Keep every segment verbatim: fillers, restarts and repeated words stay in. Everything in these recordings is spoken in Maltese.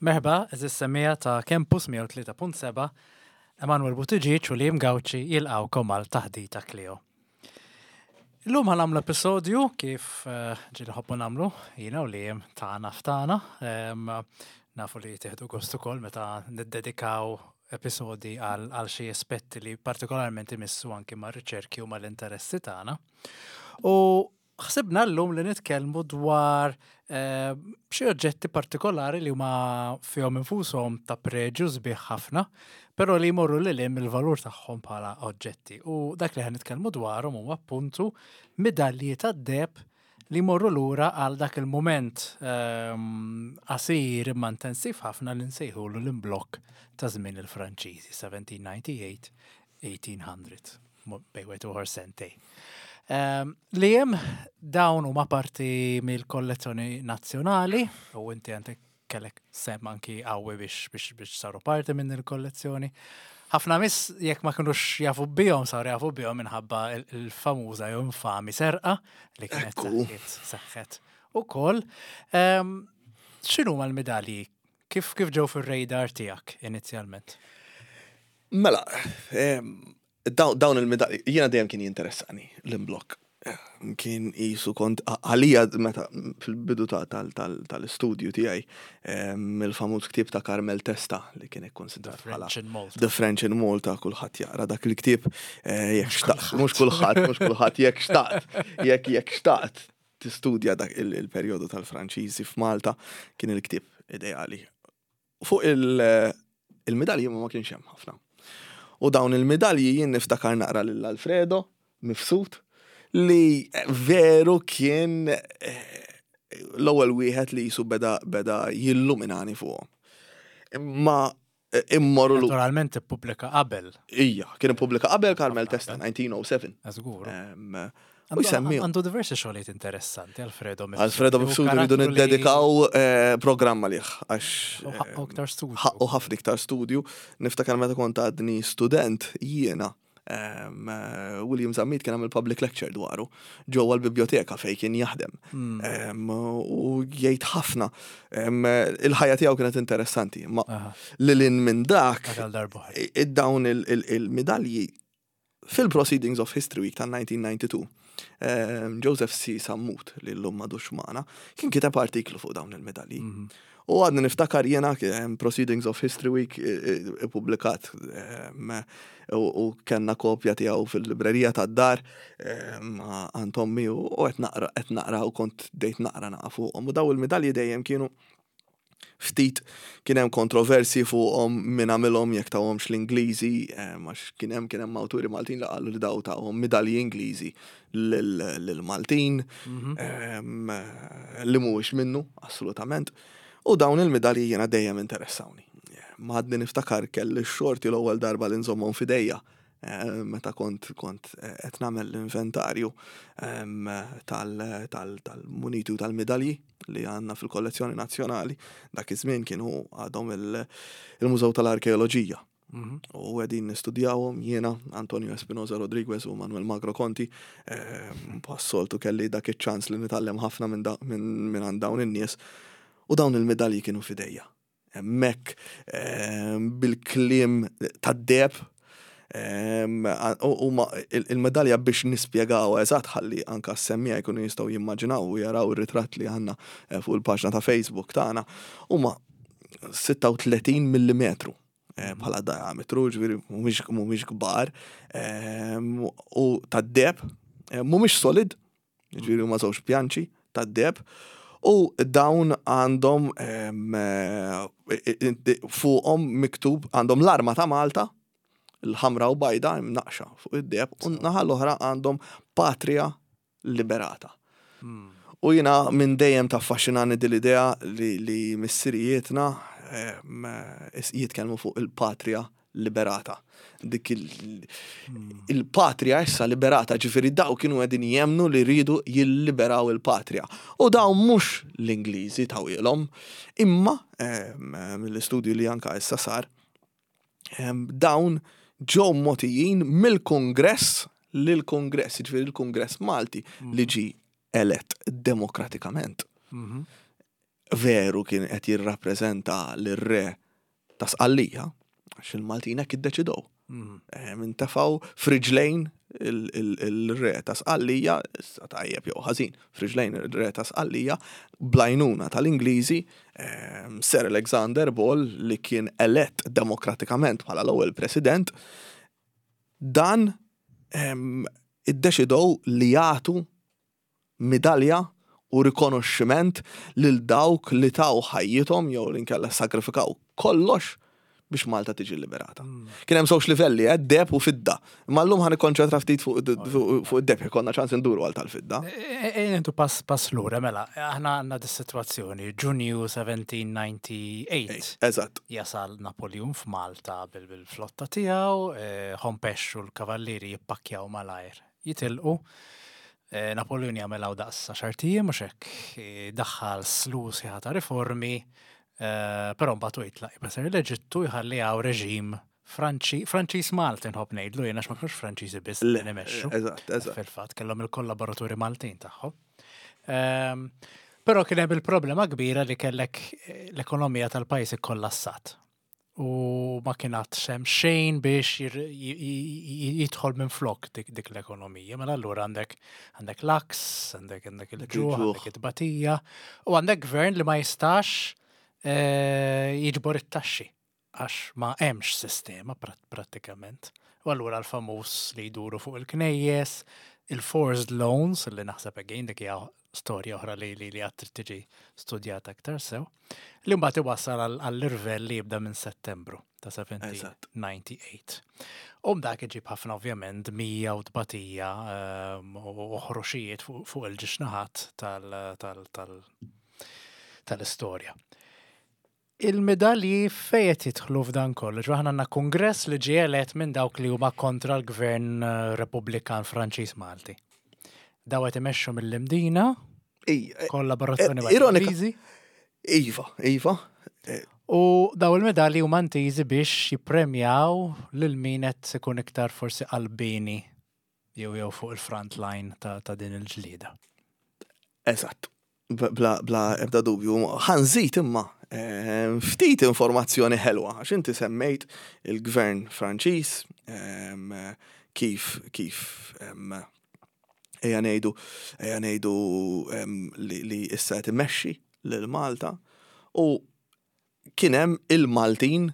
Merħba, għeżież semmiegħa ta' Campus mija u tlieta punt seba', Emanuel Buttigieg u Liam Gauci jilqgħukom għal Taħdita Kleo. Illum ħa nagħmlu episodju kif eh, ġieli nħobbu nagħmlu, jiena u Liam tagħna f'tagħna. Em, Nafu li tieħdu gost ukoll meta niddedikaw episodi għal għal xi aspetti li partikolarment imissu anki mar-riċerki u mal-interessi tagħna. U ħsibna llum li nitkellmu dwar eh, xi oġġetti partikolari li huma fihom infushom ta' preġju sbieħ ħafna, però li jmorru lil hemm il-valur tagħhom bħala oġġetti. U dak li ħa nitkellmu dwarhom huwa appuntu midalji tad-deheb li jmorru lura għal dak il-moment ehm, qasir imma intensiv ħafna li nsejħulu l-imblokk ta' żmien il-Franċiżi, seventeen ninety-eight eighteen hundred, bejn wieħed u ieħor sentejn. Um, Li jem dawn huma parti mill-kollezzjoni nazzjonali u inti għandek kellek sehem anki qawwi biex, biex, biex saru parti minn il-kollezzjoni. Ħafna nies jekk ma kinux jafu bihom saru jafu bihom minħabba il- il-famuża jew infami serqa li kienet Ekku. seħħet seħħet ukoll. Um, X'inhu l-medalji? Kif kif ġew fir-radar tiegħek inizjalment? Mela, em, daw- dawn il-medalji, jiena dejjem kien jinteressani l-imblokk. Kien jisu kont, għalija meta fil-bidu ta' tal- tal- tal-istudju tiegħi, em, il-famuż ktieb ta' Carmel Testa li kien ikkonsidrat The bħala French in Malta. The French in Malta, kulħadd jaqra dak il-ktieb, eh, jekk xtaqt, mhux kulħadd, mhux kulħadd, jekk xtaqt, jekk jekk xtaqt tistudja dak il- il-perjodu tal-Franċiżi f'Malta, kien il-ktieb ideali. Fuq il- il-medalji ma ma kienx hemm ħafna. U dawn il-medalji jien niftakar naqra lil Alfredo Mifsud li veru kien eh, l-ewwel wieħed li jisu beda beda jilluminani fuqhom. Imma eh, immorru lu. Naturalment ippubblika qabel. Ija, kien ippubblika qabel Carmel Testa, elf disa' mija u sebgħa. Żgur. Em, U Għandu- jsemmi Għandu diversi xogħlijiet interessanti, Alfredo Mifsud. Alfredo U Mifsud rridu karattru li- niddedikaw eh, programma lih għax U ħaqqu iktar studju. ħaqqu ħafna iktar studju. Niftakar meta kont għadni student jiena, em, eh, William Zammit kien għamil public lecture dwaru ġewwa l-biblioteka fej kien jaħdem. Hmm. Em, U jgħid ħafna. Em, Il-ħajja tiegħu kienet interessanti, ma Aha, lil hinn minn dak dak għal darb'oħra. id-dawn il- il- il-medalji fil-Proceedings of History Week tal-elf disa' mija u disgħa u disgħin, em, Joseph C. Sammut, li l-lum m'għadux magħna, kien kiteb artiklu fuq dawn il-medalji. Mhm. U għadni niftakar jena em, Proceedings of History Week ippubblikat u u kellna kopja tiegħu fil-librerija tad-dar em, għand ommi u qed naqra qed naqra u kont dejt naqra naqa fuqhom. U daw il-medalji dejjem kienu ftit kien hemm kontroversi fuqhom min għamilhom, jekk tawhomx l-Ingliżi, em, għax kien hemm kien hemm awturi Maltin li qalu li daw tawhom midalji Ingliżi lil- lill-Maltin Mhm. em, li mhuwiex minnu, assolutament. U dawn il-medalji jiena dejjem interessawni. Ma għadni niftakar kelli xorti l-ewwel darba li nżommhom f'idejja eh, meta kont kont eh, qed nagħmel l-inventarju em, tal- tal- tal-muniti u tal-medalji li għandna fil-kollezzjoni nazzjonali. Dak iż-żmien kienu għadhom il- il-Mużew tal-Arkeoloġija. Mhm. U qegħdin nistudjawhom jiena, Antonio Espinosa Rodriguez u Manuel Magro Conti. Bħas-soltu kelli dak iċ-ċans li nitgħallem ħafna minn da- minn minn għand dawn in-nies. U dawn il-medalji kienu f'idejja. Hemmhekk em, bil-kliem tad-deheb em, u u ma- il- il-medalja biex nispjegaw eżatt ħalli anka s-semmiegħa jkunu jistgħu jimmaġinaw u jaraw ir-ritratt li għandna eh, fuq il-paġna ta' Facebook tagħna huma sitta u tletin millimetru eh, bħala diametru, ġifieri mhumiex mhumiex kbar, em, u tad-deheb, eh, mhumiex solid, ġifieri huma żewġ pjanċi tad-deheb, u dawn għandhom em, eh, fuqhom miktub għandhom l-arma ta' Malta, l-ħamra u bajda imnaqxa fuq id-deheb, u naħa l-oħra għandhom "Patria Liberata". Hmm. U jina minn dejjem taffaxxinani din l-idea li, li missirijietna em, is- jitkellmu fuq il-patria liberata. Dik il- il-patria issa liberata, ġifieri daw kienu qegħdin jemnu li rridu jilliberaw il-patria. U daw mhux l-Ingliżi tawhielhom, imma em, mill-istudju li anka issa sar, em, dawn ġew mogħtijin mill-Kongress lill-Kongress, ġifieri il-Kongress Malti li ġi elett demokratikament Mhm. Veru kien qed jirrappreżenta lir-re ta' Sqallija, għax il-Maltin hekk iddeċidew. Mm. Intefgħu f'riġlejn il-re ta' Sqallija, issa tajjeb jew ħażin, f'riġlejn il-re ta' Sqallija, bl-għajnuna tal-Ingliżi, Sir Alexander Ball, li kien elett demokratikament bħala l-ewwel president, dan iddeċidew li jagħtu midalja u rikonoxximent lil dawk li taw ħajjithom jew li nkella sagrifikaw kollox biex Malta tiġi liberata. Mm. Kien hemm żewġ livelli, eh, deheb u fidda. Imma llum ħa nikkonċentra ftit fuq fuq id-deheb, konna ċans induru għal tal-fidda. E, e, Intu pass pass lura, mela, aħna għandna dis-sitwazzjoni, Ġunju elf disa' mija u tmienja u disgħin. Eżatt. Jasal Napoleon f'Malta bil- bil-flotta tiegħu, eh, Hompesch u l-kavallieri jippakkjaw malajr. Jitilqu, eh, Napoleon jagħmel hawn daqs għaxart ijiem mhux hekk, eh, daħħal slew sħiħa ta' riformi, eh, però mbagħad hu jitlaq jibesser l-Eġittu, jħalli hawn reġim Franċi, Franċiż Malti nħobb ngħidlu jien, għax ma kinux Franċiżi biss li nimexxu. Eżatt, eżatt. Fil-fatt kellhom il-kollaboraturi Maltin tagħhom. Ehm, Però kien hemm il-problema kbira li kellek eh, l-ekonomija tal-pajjiż ikkollassat. U ma kien għad hemm xejn biex jir- j- j- jidħol minn flok dik, dik l-ekonomija. Mela allura għandek għandek l-għaks, għandek għandek il-ġuħ, Il-ġuħ. għandek it-tbatija, u għandek gvern li ma jistax eh, jiġbor it-taxxi għax ma hemmx sistema prat prattikament. U allura l-famuż li jduru fuq il-knejjes, il-forced loans, li naħseb again dik hija storja oħra li li li għad trid tiġi studjata aktar sew, li mbagħad iwassal għall- għall-irvell li jibda minn Settembru ta' Eżatt. elf disa' mija u disgħa u disgħin. U dak iġib ħafna ovvjament dmija u tbatija ehm, u ħruxijiet fuq fuq il-żewġ naħat tal- tal- tal- tal-istorja. Il-medalji fejn qed jidħlu f'dan kollu? Ġo aħna għandna kongress li ġie elett minn dawk li huma kontra l-gvern eh, Repubblikan Franċiż Malti. Daw qed imexxu mill-Imdina, Ej, eh, kollaborazzjoni eh, ma' ironika- Ingliżi. Iva, Iva. Eh, U daw il-medalji huma intiżi biex jippremjaw lil min qed ikun iktar forsi qalbini jew jew fuq il-front line ta', ta' din il-ġlieda. Eżatt. Bla, bla ebda dubju. Ħa nżid imma eh, ftit informazzjoni ħelwa, għax inti semmejt il-gvern Franċiż, em, kif kif em, ejja ngħidu ejja ngħidu em, li, li issa qed imexxi lil Malta u kien hemm il-Maltin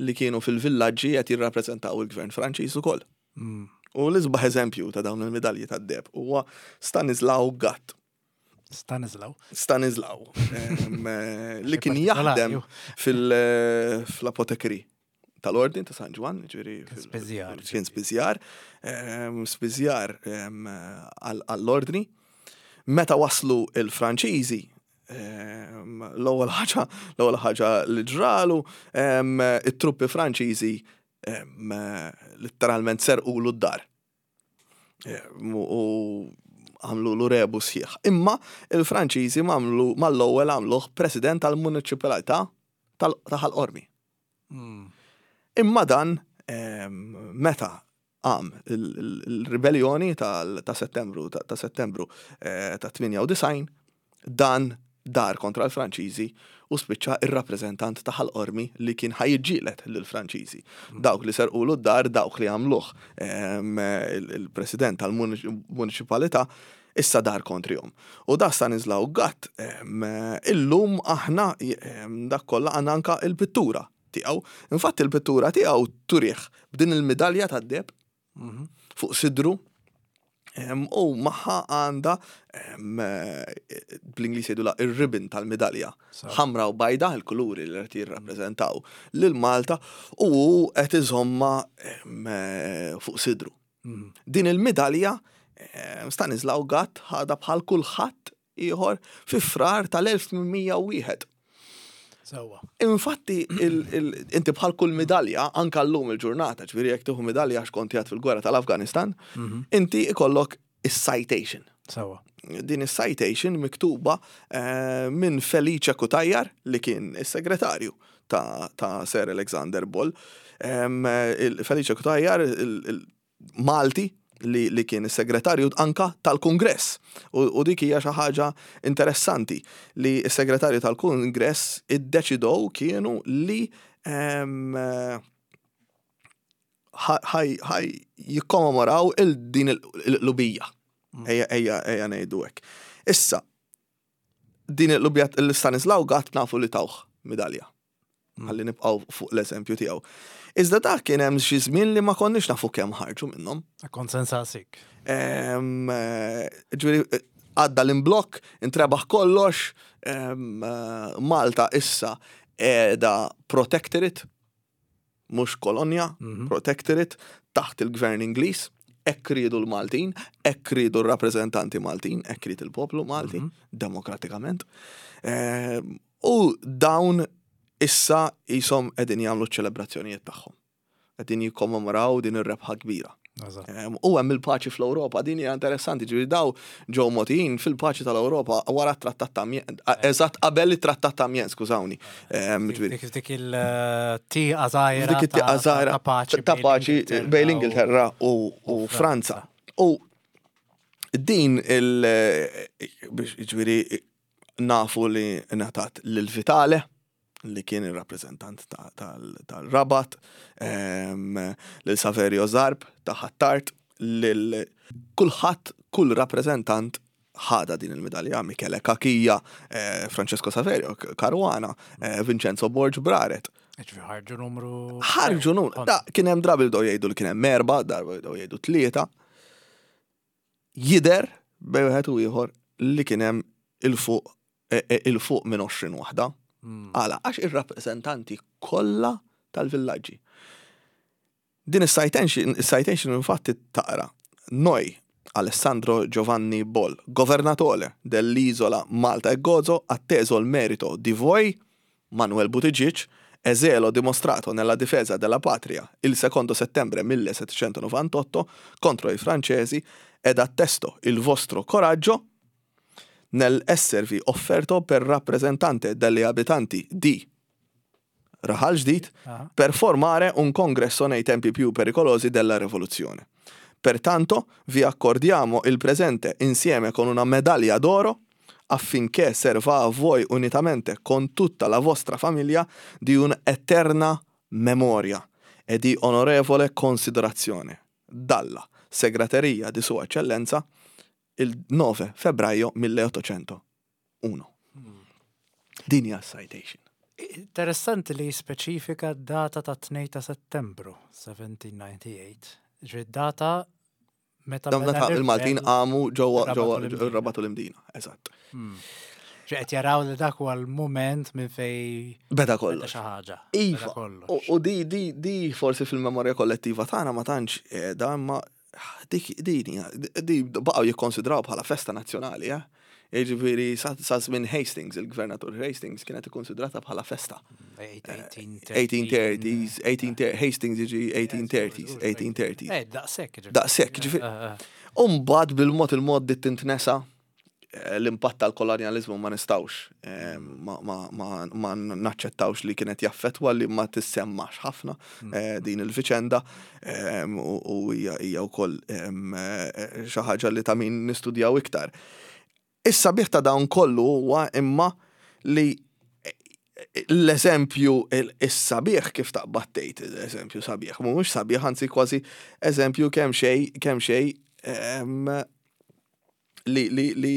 li kienu fil-villaġġi qed jirrappreżentaw il-gvern Franċiż ukoll. Mm. U l-isbaħ eżempju ta' dawn il-medalji tad-deheb huwa Stanislaw Gatt. Stanislaw. Stanislaw, em, eh, li kien Partikolari, jaħdem ju. fil-apotekri tal-Ordin ta' San Ġwann, ġifieri Kien spiżjar. Kien spiżjar, em, spiżjar em, għall- għall-ordni. Meta waslu il-Franċiżi, em, l-ewwel ħaġa, l-ewwel ħaġa li ġralu, em, it-truppi Franċiżi em, letteralment serqulu d-dar. Em, U għamlu l rebu sħiħ. Imma il-Franċiżi għamlu mal-ewwel għamluh president tal-municipalità tal- ta' Ħal Qormi. Mm. Imma dan em, meta qam il- il- il-ribellioni tal- ta' Settembru ta' ta' Settembru eh, ta' tmienja u disgħin, dan dar kontra l-Franċiżi u spiċċa ir-rappreżentant ta' Ħal Qormi li kien ħa jiġġieled lill-Franċiżi. Dawk li serqulu d-dar, dawk li għamluh em, il- il-president tal-municipalità issa dar kontrihom. U da Stanislaw Gatt, em, illum aħna em, dak kollha għandna anka il-pittura tiegħu. Infatti il-pittura tiegħu turih b'din il-medalja tad-deheb Mhm. fuq sidru em, u magħha għandha em, eh, bl-Ingliż jgħidulha ir-ribbon tal-medalja. So. Ħamra u bajda, il-kuluri li qed jirrappreżentaw lil Malta, u hu qed iżomma em, eh, fuq sidru. Mm. Din il-medalja em, Stanislaw Gatt ħadha bħal kulħadd ieħor fi Frar tal-elf tmien mija u wieħed. Sewwa. Infatti, il- il- inti bħal kull medalja, anka llum il-ġurnata, ġifieri jekk tieħu medalja għax kont qiegħed fil-gwerra tal-Afganistan, Mhm. inti ikollok is-citation. Sewwa. Din is-citation miktuba eh, minn Felice Cutajar, li kien is-segretarju ta', ta' Sir Alexander Ball. Em, il- Felice Cutajar, il- il- Malti, li, li kien is-segretarju anka tal-Kungress. U, u dik hija xi ħaġa interessanti li s-segretarju tal-Kungress iddeċidow kienu li em, ħaj ħaj jikkommemoraw il-din il-qlubija. Ejja, ejja, ejja ngħidu hekk. Issa, din il-qlubija l-Stanislaw Gatt nafu li tawh midalja. Ħalli nibqgħu fuq l-eżempju tiegħu. Iżda dak kien hemm xi żmien li ma konniex nafu kemm ħarġu minnhom. Kont se nsaqsik. Em, eh, Ġifieri, eh, għadda l-imblokk, intrebaħ kollox, em, eh, Malta issa qiegħda protectorate, mhux kolonja, Mhm. protectorate, taħt il-gvern Ingliż, hekk riedu l-Maltin, hekk riedu r-rappreżentanti Maltin, hekk ried il-poplu Malti, demokratikament. Em, U dawn issa jisom qegħdin jagħmlu ċ-ċelebrazzjonijiet tagħhom. Qegħdin jikkommemoraw din ir-rebħa kbira. Eżatt. Em, U hemm il-paċi fl-Ewropa, din hija interessanti, ġifieri daw ġew mogħtijin fil-paċi tal-Ewropa wara t-trattat ta' Amiens, eżatt qabel it-trattat ta' Amiens, skużawni. Em, ġifieri, Dik dik il-tieqa żgħira. dik it-tieqa żgħira ta' paċi. ta' paċi bejn l-Ingilterra u, u Franza. U din il biex ġifieri nafu li ngħatat lil Vitale li kien il-rappreżentant ta- tal- tal-Rabat, em, lil Saverio Zarb ta' Ħ'Attard, lil kulħadd, kull rappreżentant ħada din il-medalja, Michele Cachia, eh, Francesco Saverio Caruana, eh, Vincenzo Borg Braret. Ġifieri ħarġu numru. Ħarġu numru, da kien hemm drabi bdew jgħidu li kien hemm erba, darba bdew jgħidu tlieta. Jidher bejn wieħed u ieħor li kien hemm il-fuq eh, eh, il-fuq minn għoxrin waħda. Mm. Għala, għax ir-rappreżentanti kollha tal-villaġġi. Din is-citation, is-citation infatti taqra. Noi, Alessandro Giovanni Boll, governatore dell'isola Malta e Gozo, atteso il merito di voi, Manuel Buttigieg, e zelo dimostrato nella difesa della patria il secondo settembre millesettecentonovantotto contro i francesi ed attesto il vostro coraggio nel esservi offerto per rappresentante degli abitanti di Raħal Ġdid Ah. per formare un congresso nei tempi più pericolosi della rivoluzione. Pertanto vi accordiamo il presente insieme con una medaglia d'oro affinché serva a voi unitamente con tutta la vostra famiglia di un'eterna memoria e di onorevole considerazione. Dalla segreteria di Sua Eccellenza il nove febbraio milleottocentouno. Din hija citation. Interessanti li speċifika data ta' tnejn ta' Settembru seventeen ninety-eight. Ġifieri data meta Dam beda meta il-Maltin l-irvell qamu ġewwa Rabat ġewwa u l-Imdina. Rabat u l-Imdina, eżatt. Ġi qed jaraw li dak huwa l-mument minn fej Beda beda kollox. xi ħaġa. Iva. Beda kollox. U u di di di forsi fil-memorja kollettiva tagħna ma tantx qiegħda, imma dik din hija- di baqgħu jikkonsidraw bħala festa nazzjonali, eh? Jiġifieri sa sa żmien Hastings, il-gvernatur Hastings kienet ikkonsidrata bħala festa. eighteen thirties, eighteen thirty, Hastings jiġi eighteen thirties, eighteen thirties. Eh, daqshekk ġifieri. Daqshekk, ġifieri. Eh, eh. Umbagħad bil-mod il-mod dit tintnesa eh, l-impatt tal-kolonializmu ma nistawx, eh, ma, ma, ma, ma naċċettawx li kienet jaffetwa li ma tissemmax ħafna eh, din il-viċenda eh, u u hija hija wkoll em, eh, xi ħaġa li ta' min nistudjaw iktar. Issa bih ta' dawn kollu huwa imma li l-eżempju is-sabiħ kif taqbad tgħid l-eżempju sabiħ, mhux sabiħ, anzi kważi eżempju kemm xejn kemm xejn em, li li li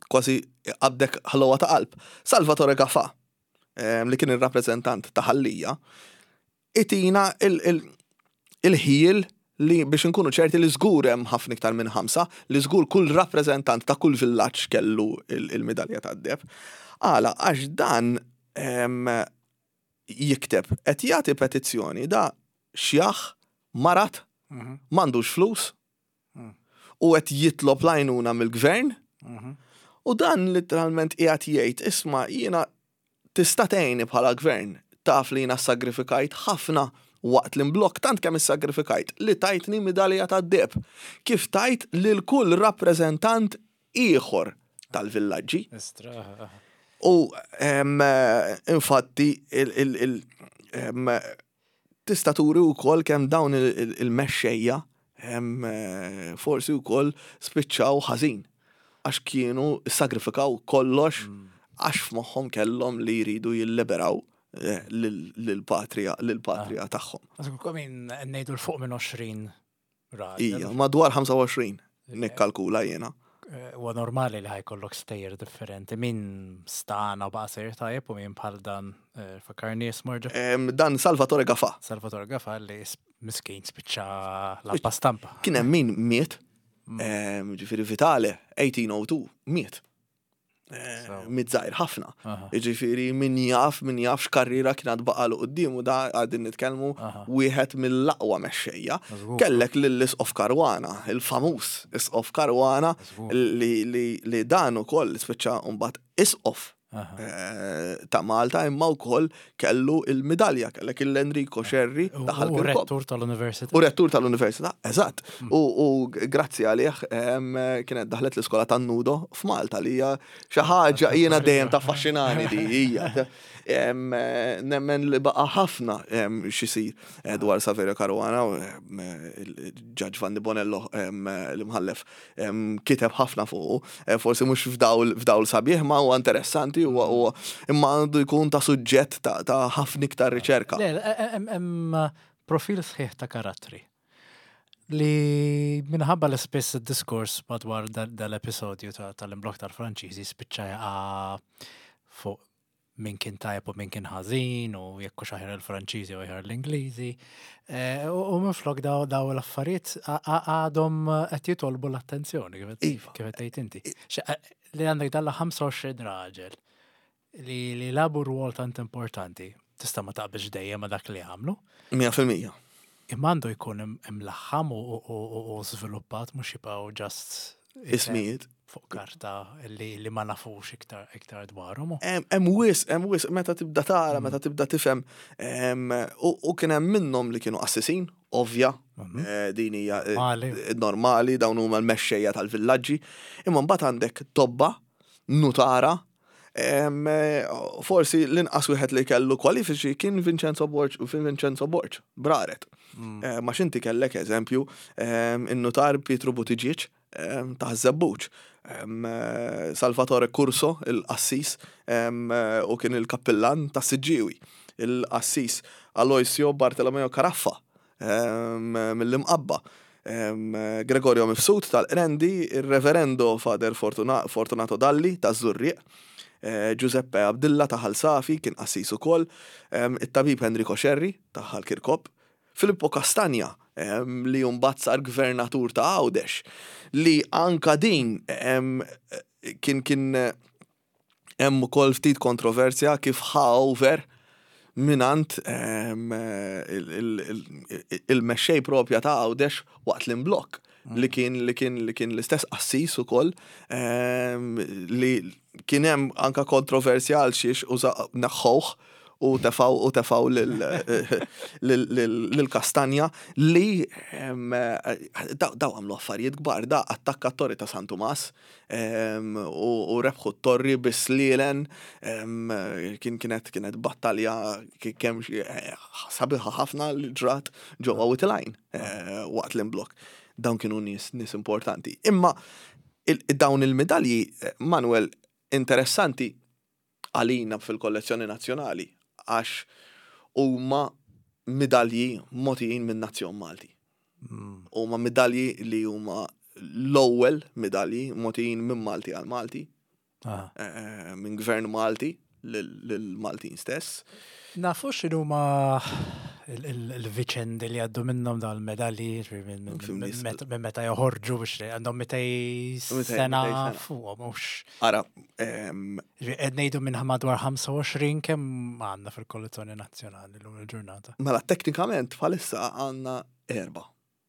kważi għabdek ħlowa ta' qalb. Salvatore Gafà, em, li kien il-rappreżentant ta' Ħal Lija, itina il- il- il-ħil li biex nkunu ċerti li żgur hemm ħafna iktar minn ħamsa, li żgur kull rappreżentant ta' kull villaġġ kellu il- il-medalja tad-deheb. Għala, għax dan em, jikteb qed jagħti petizzjoni da xjaħ marat Mhm, m'għandux flus Mm. u qed jitlob l-għajnuna mill-gvern mhm. u dan literalment qiegħed jgħid, "Isma', jiena tista' tgħinni bħala gvern, taf li jiena sagrifikajt ħafna waqt l-imblokk, tant kemm issagrifikajt li tajtni midalja tad-deheb kif tajt lil kull rappreżentant ieħor tal-villaġġi." Istra, eh, eh. U em, eh, infatti il, il, il, em, tista' turi wkoll kemm dawn il- il- il-mexxejja em, eh, forsi wkoll spiċċaw ħażin għax kienu sagrifikaw kollox għax f'moħħhom kellhom li jridu jilliberaw eh, lil- lil-patrija lil-patrija tagħhom. Min ngħidu 'l fuq minn għoxrin raġel. Ija, madwar ħamsa u għoxrin nikkalkula jiena. Eh, Huwa normali li ħa jkollok stejjer differenti. Min stana u baqa' sejjer tajjeb u min bħal dan eh, fakkarni ismu. Em, Dan Salvatore Gafa. Salvatore Gafa li s- miskin spiċċa lampa stampa. Kien hemm min miet, em, ġifieri Vitale, eighteen oh two, miet. Eh, So. Miet żgħir ħafna. Aha. Ġifieri min jaf, min jaf x'karriera kienet baqalu quddiemu, da qegħdin nitkellmu Aha. wieħed mill-aqwa mexxejja. Żgur. Kellek lill-Isqof Caruana, il-famuż Isqof Caruana Żgur. li, li, li dan ukoll spiċċa mbagħad Isqof Aha. eh, ta' Malta, imma wkoll kellu il-midalja, kellek il-Enrico Scerri U ta' u Ħal Kirkop. rettur tal-università. U rettur tal-università, eżatt. U, u grazzi għalih em, kienet daħlet l-iskola tan-Nudo f'Malta, li hija xi ħaġa jiena dejjem taffaxxinani di hija. Em, Nemmen li baqa' ħafna em, x'isir eh, dwar Saverio Caruana, u, em, il-Judge Vanni Bonello, em, l-imħallef, em, kiteb ħafna fuqu, Eh, forsi mhux f'dawl f'dawl sabiħ, ma huwa interessanti, huwa huwa imma għandu jkun ta' suġġett ta' ta' ħafna iktar riċerka. Le, hemm hemm profil sħiħ ta' karattri li minħabba li spiss id-diskors madwar dal- dal-episodju ta- tal-imblok tal-Franċiżi spiċċa jaqa' fuq min kien tajjeb u min kien ħażin u jekk hux aħjar il-Franċiżi u aħjar l-Ingliżi. Eh, U u minflok daw daw l-affarijiet a- a- għadhom qed jitolbu l-attenzjoni kif qed- Iva. kif qed tgħid inti. Xe- eh, Li għandek dalla ħamsa u għoxrin raġel li li lagħbu rwol tant importanti. Tista' ma taqbilx dejjem ma dak li għamlu, mija fil-mija. imma għandu jkun im- imlaħħam u- u u- u żviluppat, mhux jibqgħu just isem Ismijiet. fuq karta li, li ma nafux iktar iktar dwarhom. Hemm hemm wisq, hemm wisq meta tibda tara, meta tibda tifhem. em, U u kien hemm minnhom li kienu qassisin, ovvja, eh, din hija eh, Normali. normali, dawn huma l-mexxejja tal-villaġġi. Imma mbagħad għandek tobba, nutara, em, eh, forsi l-inqas wieħed li kellu kwalifiċi kien Vincenzo Borg, Vincenzo Borg, Braret. Eh, Ma xinti kellek eżempju em, in-nutar Pietro Buttigieg em, ta' Żebbuġ, em, eh, Salvatore Curso, il-qassis, em, eh, u kien il-kappillan ta' Siġġiwi, il-qassis Aloisio Bartolomeo Caraffa em, mill-Imqabba, em, Gregorio Mifsud tal-Qrendi, il-Reverendo Father Fortuna, Fortunato Dalli ta' Żurrieq, eh, Giuseppe Abdilla ta' Ħal Safi, kien qassis ukoll, em, it-tabib Enrico Scerri ta' Ħal Kirkop, Filippo Castagna em, li mbagħad sar gvernatur ta' Għawdex, li anka din em, kien kien eh, hemm ukoll ftit kontroversja kif ħa over minant em, il- il- il- il-mexxej propja ta' Għawdex waqt l-imblok li kien li kien li kien l-istess qassis ukoll, em, li kien hemm anka kontroversja għal xiex uża neħħewh u tefaw u tefaw lil- lil lil Kastanja li em, daw daw għamlu affarijiet kbar, da attakka t-torri ta' San Tumas em, u u rebħu t-torri bis-slielen, em, kien kienet kienet battalja ki- kemm xi- eh, sabiħa ħafna li ġrat ġewwa Wied il-Għajn eh, waqt l-imblok. Dawn kienu nies nies importanti. Imma il- dawn il-medalji, eh, Manuel, interessanti għalina fil-kollezzjoni nazzjonali għax huma midalji mogħtijin minn nazzjon Malti. Huma midalji li huma l-ewwel midalji mogħtijin minn Malti għal Malti, Ah. eh, minn gvern Malti lil-Maltin stess. Nafu x'inhuma il- il- il-viċendi li għaddu minnhom dawn il-medalji, ġifieri minn- minn- Fim minn nis- meta minn meta joħorġu biex li għandhom mitej Mitej- sena mitej sena. fuqhom mhux. Ara, em, Ġifieri qed ngħidu minn madwar ħamsa u għoxrin, kemm għandna fil-kollezzjoni nazzjonali llum il-ġurnata? Mela teknikament bħalissa għandna erba.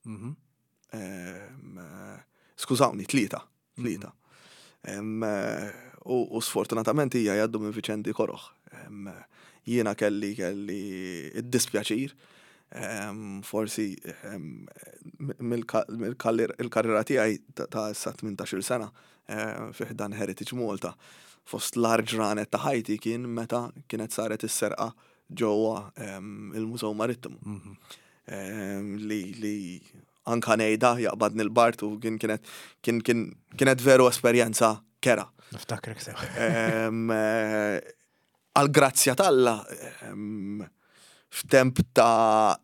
Mhm. Em, eh, Skużawni, tlieta. Tlieta. Em, eh, U u sfortunatament hija jgħaddu minn viċendi koroħ. Em, Jiena kelli kelli id-dispjaċir, em, forsi em, mill-karriera tiegħi ta' ta' issa tmintax-il sena eh, fi ħdan Heritage Malta. Fost l-agħar ġranet ta' ħajti kien meta kienet saret is-serqa ġewwa em, il-Mużew Marittimu. Mhm. Em, li li Anka ngħidha jaqbadni l-bard u kien kienet kien kien kienet veru esperjenza kerha. Niftakrek sew. Em, eh, Għal-grazzja t'Alla, em, f'temp ta'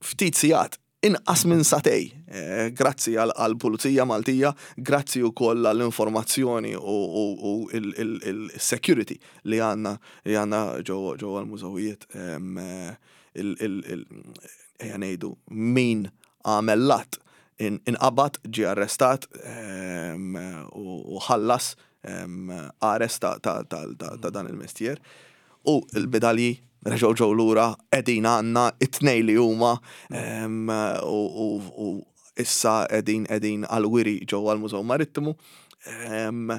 ftit sigħat, inqas minn sagħtejn, eh, grazzi għal-Pulizija Maltija, grazzi wkoll għall-informazzjoni u, u, u il-security li għandna li għandna ġewwa ġewwa l-mużewijiet. em, eh, il- il- il- Ejja ngħidu min għamel l-att inqabad, ġie arrestat em, u u ħallas em, arrest ta' ta' ta' ta' ta' dan il-mestier. U il-medalji reġgħu ġew lura, qegħdin għandna it-tnejn li huma em, u, u, u issa qegħdin qegħdin għal-wiri ġewwa l-Mużew Marittimu. Em,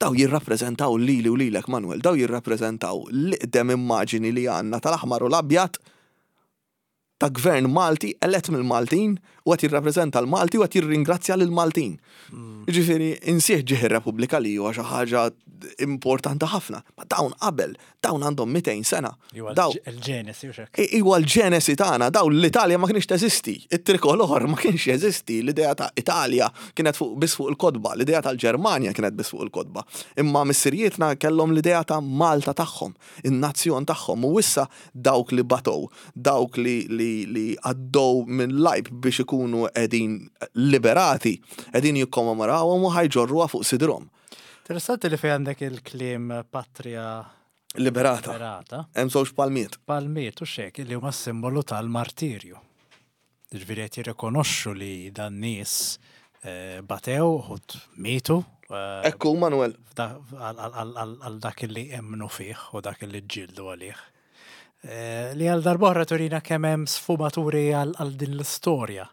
Daw jirrappreżentaw lili u lilek, Manuel, daw jirrappreżentaw l-iqdem immaġini li għandna tal-aħmar u l-abjad ta' gvern Malti elett mill-Maltin u qed jirrappreżenta l-Malti u qed jirringrazzja lill-Maltin. Ġifieri, insieħ ġieħ ir-Repubblika li huwa xi ħaġa importanti ħafna. Ma dawn qabel, dawn għandhom mitejn sena. Iwa Daw il-ġenesi u xek. Iwa l-ġenesi tagħna, daw l-Italja ma kienx teżisti, it-trikolor ma kienx jeżisti, l-idea ta' Italja kienet fuq biss fuq il-kotba, l-idea tal-Ġermanja kienet biss fuq il-kotba. Imma missirietna kellhom l-idea ta' Malta tagħhom, in-nazzjon tagħhom, u issa dawk li batow, dawk li li li għaddew minn l-għajb biex ikunu qegħdin liberati, qegħdin jikkommemorawhom u ħa jġorruha fuq sidrhom. Interessanti li fej għandek il-kliem patria Liberata. liberata. Hemm żewġ palmiet. Palmiet u xek li huma simbolu tal-martirju. Ġifieri qed jirrikonoxxu li dan nies eh, batew, uħud mietu. eh, Ekku, Manuel. f'da- għal- għal għal- għal dak li emmnu fih u dak li ġġieldu għalih. Eh, Li għal darb'oħra turina kemm hemm sfumaturi għal għal din l-istorja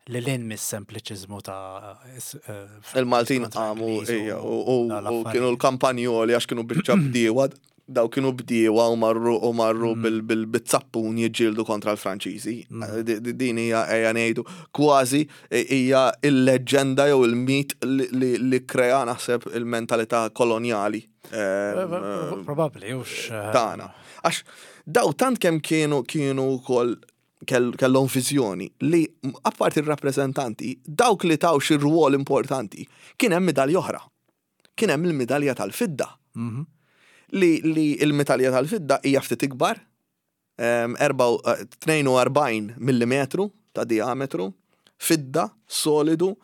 li l mis-sempliċiżmu ta' is- eh, Il-Maltin kontra għamu, Ingliż ija, u u- dawn u l-affarijiet. kienu l-kampanjoli għax kienu biċċa bdiewa, daw kienu bdiewa u marru u marru bil-zappun jiġġieldu kontra l-Franċiżi. Di- di- Din hija, ejja ngħidu, kważi hija il-leġenda jew il-mit li- li li krea naħseb il-mentalità kolonjali em, Probabbli, ux. eh, tagħna. Għax daw tant kemm kienu kienu wkoll kell- kellhom viżjoni li apparti ir-rappreżentanti, dawk li taw xi rwol importanti, kien hemm midalja oħra. Kien hemm il-midalja tal-fidda. mhm. Li, li il-medalja tal-fidda hija ftit ikbar, em, erba' eh, tnejn u erbgħin millimetru ta' diametru, fidda, solidu,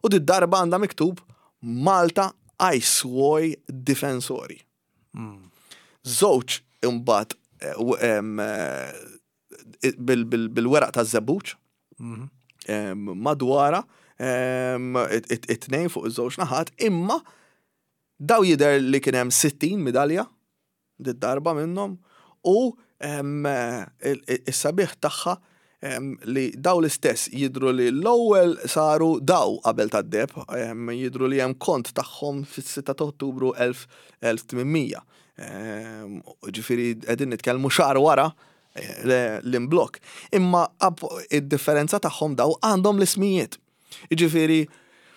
u di darba għandha miktub "Malta ai suoi difensori". Mm. Żewġ imbagħad eh, u- em, eh, bil- bil- bil-weraq ta' żebbuġ Mhm. em, madwara em, it- it- it-tnejn fuq iż-żewġ naħat, imma daw jidher li kien hemm sittin midalja di darba minnhom u em, il- il- is-sabiħ tagħha em, li daw l-istess jidru li l-ewwel saru daw qabel tad-deheb, em, jidru li hemm kont tagħhom fis-sitta ta' Ottubru elf tmien mija. Em, Ġifieri qegħdin nitkellmu xahar wara eh, le- l-imblok. Imma ap- id-differenza tagħhom, daw għandhom l-ismijiet. Ġifieri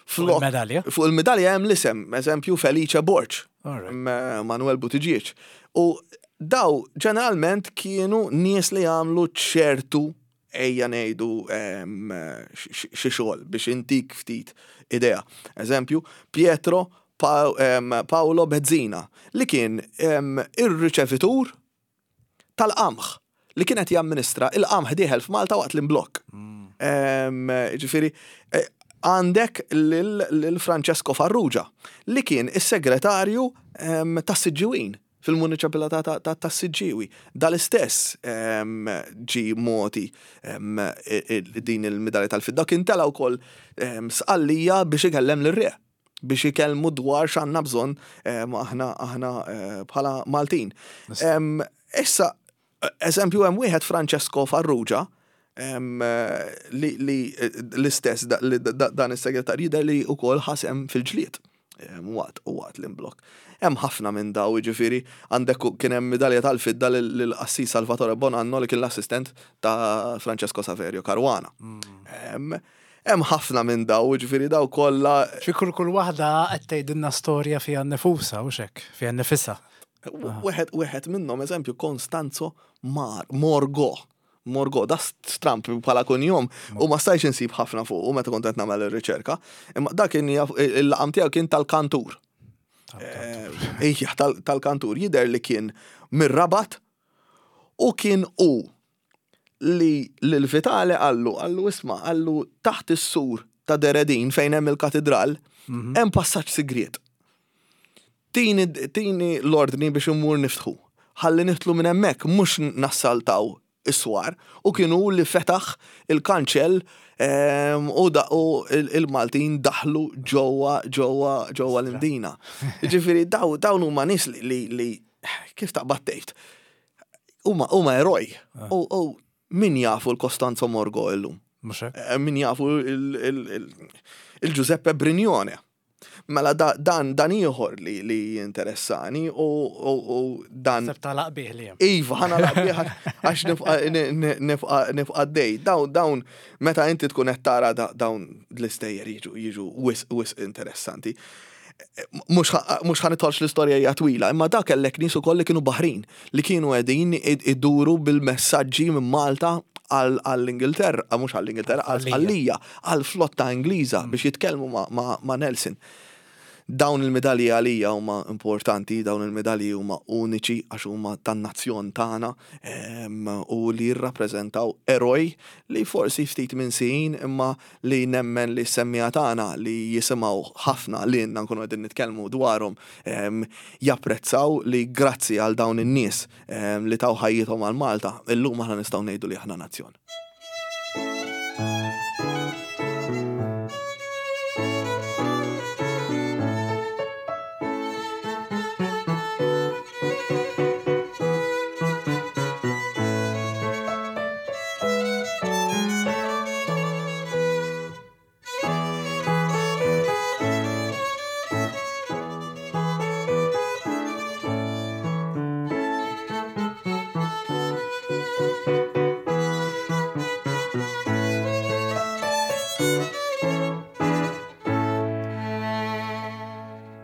Fuq il-medalja? Fuq il-medalja hemm l-isem, eżempju Felice Borg, Alright. M- Manuel Buttigieg. U daw ġeneralment kienu nies li għamlu ċertu, ejja ngħidu, em, xi xi xogħol biex intik ftit idea. Eżempju, Pietro Pa- em, Paolo Bezzina li kien em, ir-riċevitur tal-qamħ li kienet jamministra il-qamħ dieħel f'Malta waqt l-imblok. Em, Ġifieri, eh, għandek lil lil Francesco Farrugia li kien is-segretarju em, tas-Siġġiwin fil-municipalità ta- ta- tas-Siġġiwi. Dal-istess em, ġi moti em, i- i- din il-medalja tal-fidda, kien tela wkoll em, Sqallija biex ikellem lir-re, biex ikellmu dwar x'għandna bżonn em, aħna aħna eh, bħala Maltin. Em, Issa, eżempju, hemm wieħed Francesco Farrugia em, eh, li, li eh, l-istess da- li da- dan is-segretarju jidher li wkoll ħa sehem fil-ġlied em, waqt u waqt l-imblok. Hemm ħafna minn daw, ġifieri għandek u- kien hemm medalja tal-fidda lill-qassis Salvatore Bonanno li kien l-assistent ta' Francesco Saverio Caruana. Em, Hemm ħafna minn daw, ġifieri daw kollha. Xi kull kull waħda qed tgħidilna storja fiha nnifusa u xek, fiha nnifisha. Wieħed wieħed minnhom, eżempju, Constanzo Mar Morgo. Morgo, da stramp bħala kunjom u ma stajtx insib ħafna fuq u meta kont qed nagħmel ir-riċerka. Imma dak kien il-laqam tiegħu kien tal-kantur. Ejja, tal-kantur jidher li kien mir-Rabat u kien u li lil Vitale qallu, qallu isma', qallu taħt is-sur ta' Deredin fejn hemm il-katedral, hemm passaġġ sigriet. Tini, tini l-ordni biex immur niftħu. Ħalli nidħlu minn hemmhekk, mhux nassaltaw is-swar, u kienu li fetaħ il-kanċell u da u il-Maltin daħlu ġewwa ġewwa ġewwa l-Imdina. Ġifieri dawn huma nies li li kif taqbad tgħid. Huma huma eroj. U min jafu l-Costanzo Morgo illum? Min jafu il-Giuseppe Brignone. Mela dan dan ieħor li li interessani u u dan. Seb talaq bih li Iva, ħa nagħlaq bih għax nibqa' nibqa' dej. Dawn dawn meta inti tkun qed tara dawn l-istejjer jiġu jiġu wisq wisq interessanti. Mhux ħa nidħolx, l-istorja hija twila, imma dak kellek nies ukoll li kienu baħrin, li kienu qegħdin iduru bil-messaġġi minn Malta għall-Ingilterra, mhux għall-Ingilterra, għall-Sqallija, għall-flotta Ingliża biex jitkellmu ma' Nelson. Dawn il-medalji għalija huma importanti, dawn il-medalji huma uniċi għax huma tan-nazzjon tagħna u li jirrappreżentaw eroj li forsi ftit minsijin, imma li nemmen li semmija tagħna li jisimgħu ħafna li nkunu qegħdin nitkellmu dwarhom japprezzaw li grazzi għal dawn in-nies li taw ħajjithom għal Malta, illum aħna nistgħu ngħidu li aħna nazzjon.